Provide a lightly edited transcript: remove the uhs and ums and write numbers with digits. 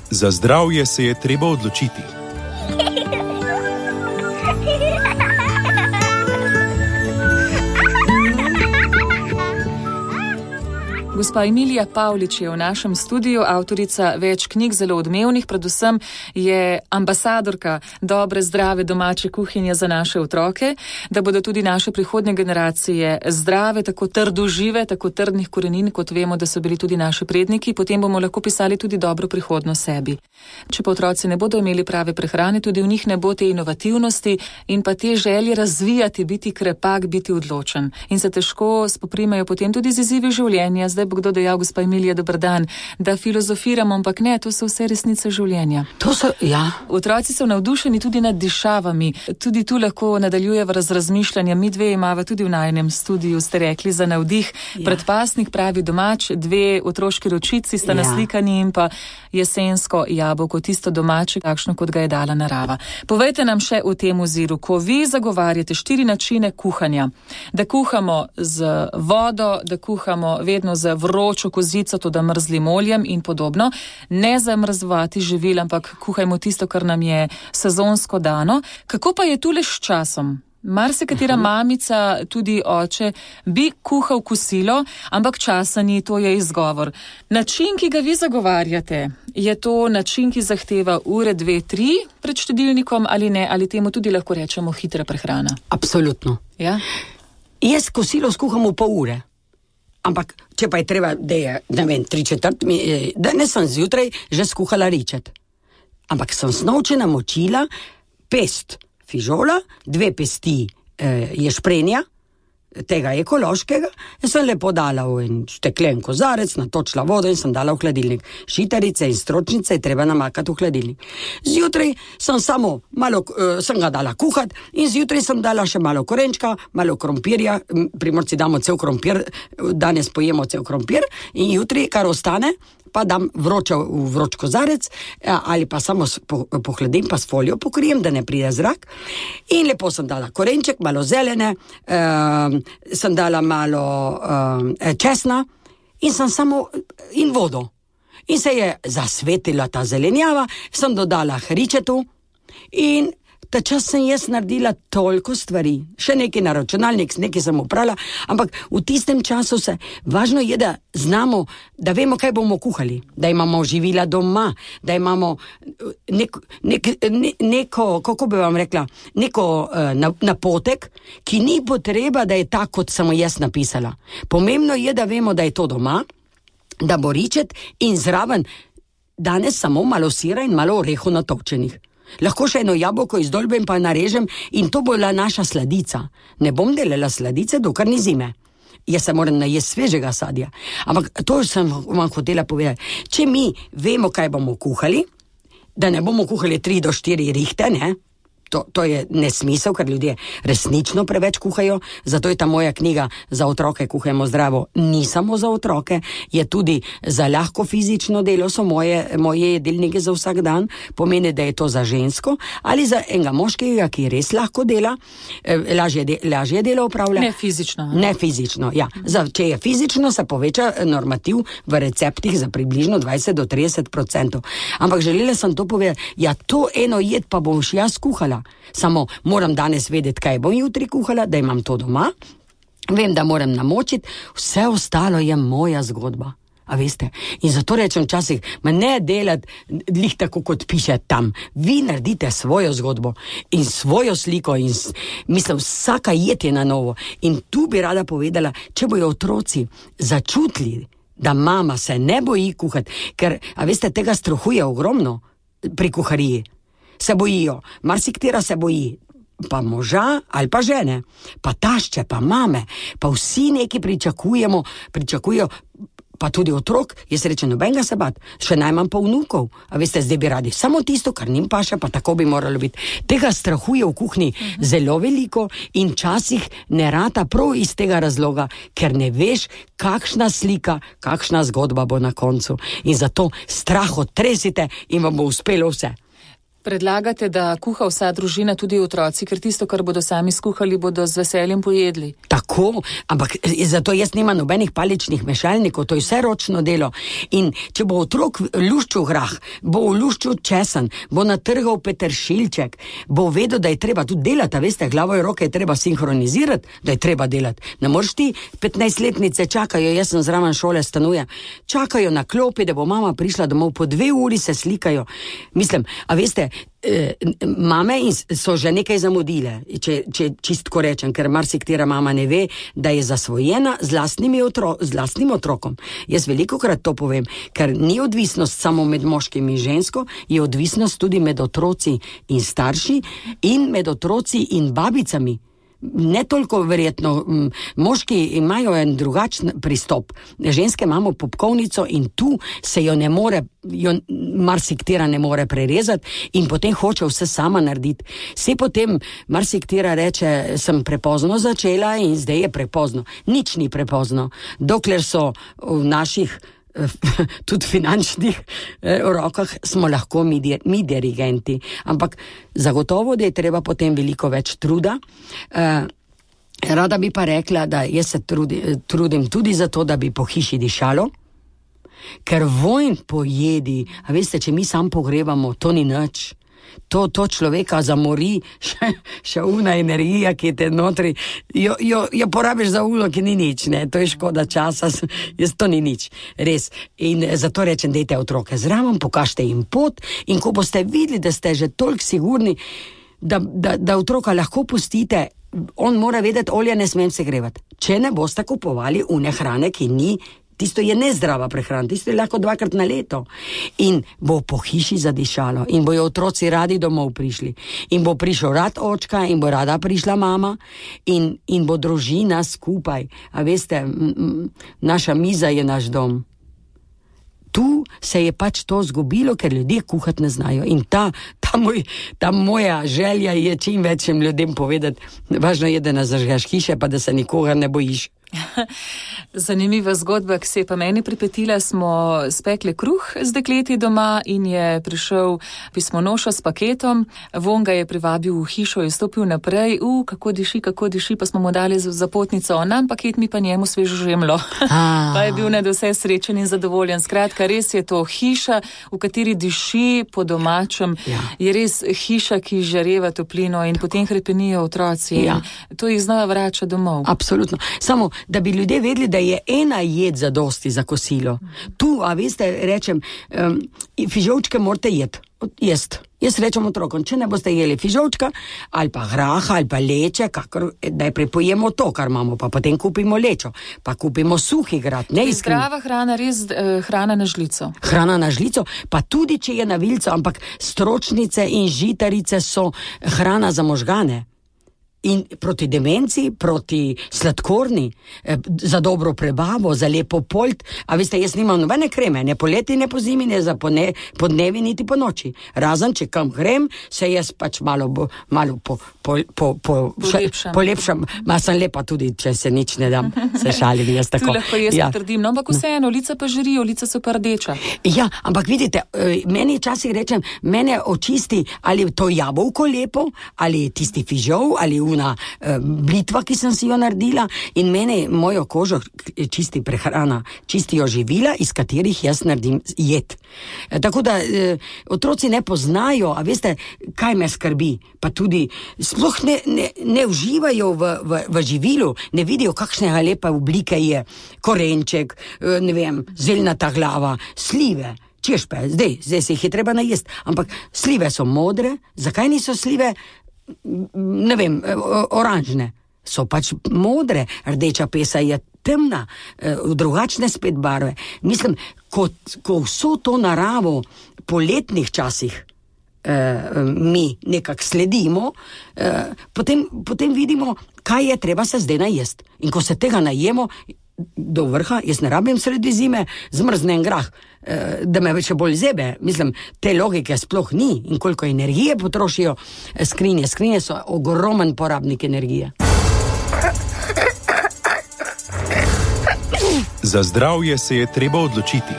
Za zdravje se je treba odločiti. Gospa Emilija Pavlič je v našem studiu, avtorica več knjig, zelo odmevnih, predvsem je ambasadorka dobre, zdrave domače kuhinje za naše otroke, da bodo tudi naše prihodnje generacije zdrave, tako trdožive, tako trdnih korenin, kot vemo, da so bili tudi naši predniki, potem bomo lahko pisali tudi dobro prihodnost sebi. Če pa otroci ne bodo imeli prave prehrane, tudi v njih ne bo te inovativnosti in pa te želje razvijati, biti krepak, biti odločen. In se težko spoprimejo potem tudi z izzivi življenja. Zdaj bo kdo dejal, gospa Emilija, dober dan, da filozofiramo, ampak ne, to so vse resnice življenja. To so, ja. Otroci so navdušeni tudi nad dišavami. Tudi tu lahko nadaljujeva razmišljanja. Mi dve imava tudi v najinem studiu, ste rekli, za navdih. Ja. Predpasnik pravi domač, dve otroški ročici sta naslikani in pa jesensko jabolko, tisto domače, takšno, kot ga je dala narava. Povejte nam še o tem oziru, ko vi zagovarjate 4 načine kuhanja. Da kuhamo z vodo, da kuhamo vedno z vročo kozico, to da mrzlim oljem in podobno. Ne zamrzovati živil, ampak kuhajmo tisto, kar nam je sezonsko dano. Kako pa je tule s časom? Marsikatera mamica, tudi oče, bi kuhal kosilo, ampak časa ni, to je izgovor. Način, ki ga vi zagovarjate, je to način, ki zahteva ure, 2, 3 pred štedilnikom ali ne, ali temu tudi lahko rečemo hitra prehrana? Absolutno. Ja? Jaz kosilo skuham v pol ure. Ampak, če pa je treba, da je, ne vem, 3/4, danes sem zjutraj že skuhala ričet. Ampak sem snovče namočila pest fižola, 2 pesti ješprenja, tega ekološkega, in sem lepo dala v en steklen kozarec, natočila vodo in sem dala v hladilnik. Šitarice in stročnice je treba namakati v hladilnik. Zjutraj sem samo malo, sem ga dala kuhat in zjutraj sem dala še malo korenčka, malo krompirja, Primorci damo cel krompir, danes pojemo cel krompir in jutri, kar ostane, pa dam vroč kozarec ali pa samo pohladim, pa s folijo pokrijem, da ne pride zrak. In lepo sem dala korenček, malo zelene, sem dala malo česna in sem samo in vodo. In se je zasvetila ta zelenjava, sem dodala hričetu in ta čas sem jaz naredila toliko stvari. Še nekaj na računalnik, nekaj sem oprala, ampak v tistem času važno je, da znamo, da vemo, kaj bomo kuhali, da imamo živila doma, da imamo neko, kako bi vam rekla, neko napotek, ki ni potreba, da je tak, kot sem jaz napisala. Pomembno je, da vemo, da je to doma, da bo ričet in zraven danes samo malo sira in malo orehov natočenih. Lahko še eno jabolko izdolbem pa narežem in to bo bila naša sladica. Ne bom delala sladice, dokler ni zime. Jaz se moram najesti svežega sadja. Ampak to sem vam hotela povedati. Če mi vemo, kaj bomo kuhali, da ne bomo kuhali 3 do 4 rihte, ne? To je nesmisel, ker ljudje resnično preveč kuhajo, zato je ta moja knjiga Za otroke kuhajmo zdravo ni samo za otroke, je tudi za lahko fizično delo, so moje jedilnike za vsak dan, pomeni, da je to za žensko ali za enega moškega, ki res lahko dela, lažje delo opravlja. Ne fizično. Ne fizično, ja. Če je fizično, se poveča normativ v receptih za približno 20 do 30%. Ampak želela sem to povedati, ja, to eno jed pa bom jaz kuhala. Samo moram danes vedeti, kaj bom jutri kuhala, da imam to doma. Vem, da moram namočiti, vse ostalo je moja zgodba. A veste? In zato rečem včasih, ne delati glih tako, kot piše tam. Vi naredite svojo zgodbo in svojo sliko in mislim, vsaka jed je na novo. In tu bi rada povedala, če bojo otroci začutili, da mama se ne boji kuhati, ker, a veste, tega strahuje ogromno pri kuhariji. Se bojijo, marsiktera se boji, pa moža ali pa žene, pa tašče, pa mame, pa vsi neki pričakujejo, pa tudi otrok, jaz rečem, nobenega se bat, še najmanj pa vnukov, a veste, zdaj bi radi samo tisto, kar njim paše, pa tako bi moralo biti. Tega strahuje v kuhinji zelo veliko in časih ne rata prav iz tega razloga, ker ne veš, kakšna slika, kakšna zgodba bo na koncu. In zato strah odtresite in vam bo uspelo vse. Predlagate, da kuha vsa družina, tudi otroci, ker tisto, kar bodo sami skuhali, bodo z veseljem pojedli. Tako, ampak zato jaz nimam nobenih paličnih mešalnikov, to je vse ročno delo. In če bo otrok luščil grah, bo luščil česen, bo natrgal peteršilček, bo vedel, da je treba tudi delati, veste, glavo in roke je treba sinhronizirati, da je treba delati. Ne moreš ti 15-letnice čakajo, jaz sem zraven šole stanujem, čakajo na klopi, da bo mama prišla domov, po 2 uri se slikajo. Mislim, a veste, mame so že nekaj zamudile, če čistko rečem, ker marsikatera mama ne ve, da je zasvojena z lastnim otrokom. Jaz velikokrat to povem, ker ni odvisnost samo med moškim in žensko, je odvisnost tudi med otroci in starši in med otroci in babicami. Ne toliko verjetno, moški imajo en drugačen pristop, ženske imamo popkovnico in tu se jo marsiktera ne more prerezati in potem hoče vse sama narediti. Se potem marsiktera reče, sem prepozno začela in zdaj je prepozno. Nič ni prepozno, dokler so v naših tudi finančnih rokah smo lahko mi dirigenti. Ampak zagotovo, da je treba potem veliko več truda. Rada bi pa rekla, da jaz se trudim tudi za to, da bi po hiši dišalo, ker vonj po jedi, a veste, če mi sam pogrebamo, to ni nič. To človeka zamori, še una energija, ki je te notri, jo porabiš za ulo, ki ni nič, ne, to je škoda časa, to ni nič, res. In zato rečem, dejte otroke zraven, pokažite jim pot in ko boste videli, da ste že toliko sigurni, da otroka lahko pustite, on mora vedeti, olja ne smem segrevati. Če ne boste kupovali une hrane, ki ni, tisto je nezdrava prehrana, tisto je lahko 2-krat na leto. In bo po hiši zadišalo in bojo otroci radi domov prišli. In bo prišel rad očka in bo rada prišla mama in bo družina skupaj. A veste, naša miza je naš dom. Tu se je pač to zgubilo, ker ljudje kuhati ne znajo. In ta moja želja je čim večjem ljudem povedati, važno je, da ne zažgaš hiše, pa da se nikogar ne bojiš. Zanimiva zgodba, ki se je pa meni pripetila, smo spekli kruh z dekleti doma in je prišel pismonoša s paketom, von ga je privabil v hišo, je stopil naprej, kako diši, pa smo mu dali za potnico, nam paket, mi pa njemu svežo žemlo. Pa je bil nadvse srečen in zadovoljen. Skratka, res je to hiša, v kateri diši po domačem, je res hiša, ki žareva toplino in potem hrepenijo otroci. To jih znova vrača domov. Absolutno. Samo da bi ljudje vedeli, da je ena jed zadosti za kosilo. Tu, a veste, rečem, fižolčke morate jesti. Jaz rečem otrokom, če ne boste jeli fižolčka, ali pa graha, ali pa leče, najprej pojemo to, kar imamo, pa potem kupimo lečo, pa kupimo suhi grad. Zdrava hrana, res hrana na žlico. Hrana na žlico, pa tudi, če je na vilco, ampak stročnice in žitarice so hrana za možgane. In proti demenci, proti sladkorni, za dobro prebavo, za lepo polt. A veste, jaz nimam nobene kreme, ne poleti, ne po zimi, ne za podnevi, niti po noči. Razen, če kam grem, se jaz pač malo polepšam. Ma sem lepa tudi, če se nič ne dam, se šalim jaz tako. Tu lahko jaz potrdim, no, ampak vseeno, lica pa žirijo, lica so pa rdeča. Ja, ampak vidite, meni včasih rečem, mene očisti, ali to jabolko lepo, ali tisti fižol, ali una blitva, ki sem si jo naredila, in mene mojo kožo čisti prehrana, čistijo živila, iz katerih jaz naredim jed. Tako da otroci ne poznajo, a veste, kaj me skrbi, pa tudi sploh ne uživajo v živilu, ne vidijo, kakšne lepe oblike je korenček, ne vem, zeljnata glava, slive. Češpe, zdaj se jih je treba najesti, ampak slive so modre, zakaj niso slive ne vem, oranžne, so pač modre, rdeča pesa je temna, drugačne spet barve. Mislim, ko vso to naravo po letnih časih mi nekako sledimo, potem vidimo, kaj je treba se zdaj najesti. In ko se tega najemo do vrha, jaz ne rabim sredi zime zmrznen grah, da me še bolj zebe. Mislim, te logike sploh ni in koliko energije potrošijo skrinje. Skrinje so ogromen porabnik energije. Za zdravje se je treba odločiti.